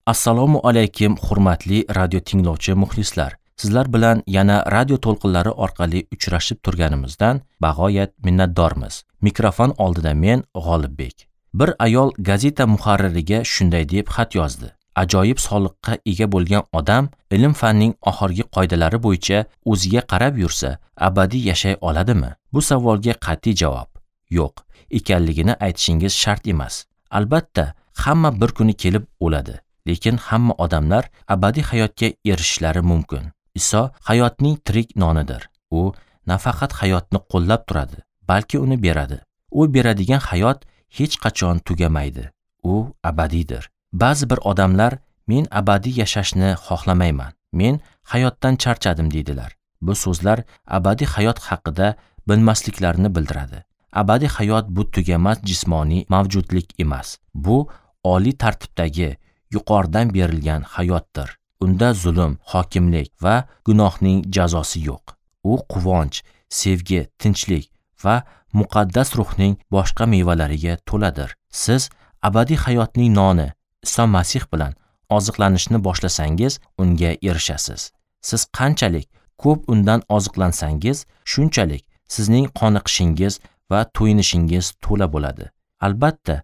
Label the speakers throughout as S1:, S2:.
S1: Assalomu alaykum, hurmatli radio tinglovchi muxlislar. Sizlar bilan yana radio to'lqinlari orqali uchrashib turganimizdan bag'oyat minnatdormiz. Mikrofon oldida men G'olibbek. Bir ayol gazeta muharririga shunday deb xat yozdi. Ajoyib sog'liqqa ega bo'lgan odam ilm-fanning oxirgi qoidalari bo'yicha o'ziga qarab yursa, abadiy yashay oladimi? Bu savolga qat'iy javob yo'q ekanligini aytishingiz shart emas. Albatta, hamma bir kuni kelib o'ladi. Lekin hamma odamlar abadiy hayotga erishishlari mumkin. Iso hayotning tirik nonidir. U nafaqat hayotni qo'llab turadi, balki uni beradi. U beradigan hayot hech qachon tugamaydi. U abadiydir. Ba'zi bir odamlar men abadiy yashashni xohlamayman, men hayotdan charchadim deydilar. Bu so'zlar abadiy hayot haqida bilmasliklarini bildiradi. Abadiy hayot bu tugamas jismoniy mavjudlik emas. Bu oliy tartibdagi yuqoridan berilgan hayotdir. Unda zulm, hokimlik va gunohning jazosi yo'q. U quvonch, sevgi, tinchlik va muqaddas ruhning boshqa mevalariga to'ladir. Siz abadiy hayotning noni Iso Masih bilan oziqlanishni boshlasangiz, unga erishasiz. Siz qanchalik ko'p undan oziqlansangiz, shunchalik sizning qoniqishingiz va to'yinishingiz to'la bo'ladi. Albatta,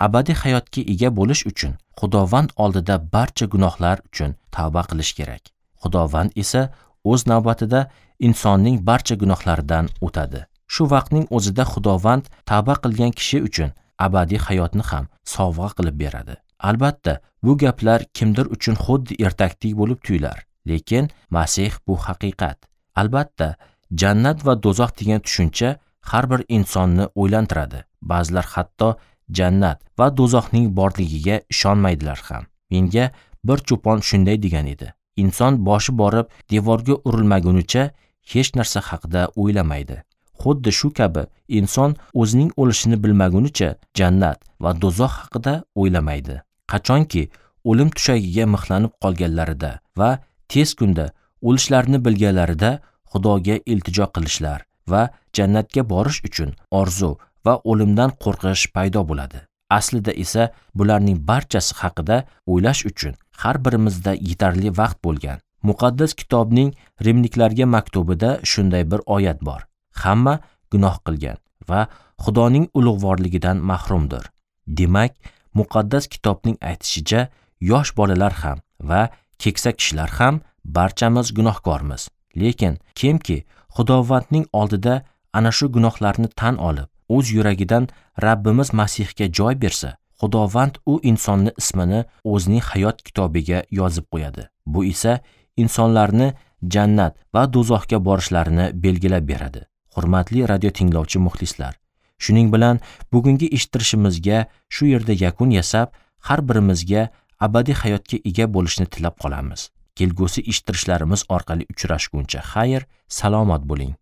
S1: abadiy hayotga ega bo'lish uchun Xudovand oldida barcha gunohlar uchun tavba qilish kerak. Xudovand esa o'z navbatida insonning barcha gunohlaridan o'tadi. Shu vaqtning o'zida Xudovand tavba qilgan kishi uchun abadiy hayotni ham sovg'a qilib beradi. Albatta, bu gaplar kimdir uchun xuddi ertakdek bo'lib tuyular, lekin Masih bu haqiqat. Albatta, jannat va do'zax degan tushuncha har bir insonni o'ylantiradi. Ba'zilar hatto jannat va do'zaxning borligiga ishonmaydilar ham. Menga bir cho'pon shunday degan edi: inson boshi borib devorga urilmagunicha hech narsa haqida o'ylamaydi. Xuddi shu kabi inson o'zining o'lishini bilmagunicha jannat va do'zax haqida o'ylamaydi. Qachonki o'lim tushagiga mixlanib qolganlarida va tez kunda o'lishlarini bilganlarida Xudoga iltijo qilishlar va jannatga borish uchun orzu va o'limdan qo'rqish paydo bo'ladi. Aslida esa bularning barchasi haqida o'ylash uchun har birimizda yetarli vaqt bo'lgan. Muqaddas kitobning Rimliklarga maktubida shunday bir oyat bor. Hamma gunoh qilgan va Xudoning ulug'vorligidan mahrumdir. Demak, muqaddas kitobning aytishicha, yosh bolalar ham va keksa kishilar ham barchamiz gunohkormiz. Lekin kimki Xudovandning oldida ana shu gunohlarni tan olib, o'z yuragidan Rabbimiz Masihga joy bersa, Xudovand u insonni ismini o'zining hayot kitobiga yozib qo'yadi. Bu esa insonlarni jannat va do'zaxga borishlarini belgilab beradi. Hurmatli radio tinglovchi muxlislar, shuning bilan bugungi eshittirishimizga shu yerda yakun yasab, har birimizga abadiy hayotga ega bo'lishni tilab qolamiz. Kelgusi eshittirishlarimiz orqali uchrashguncha xayr, salomat bo'ling.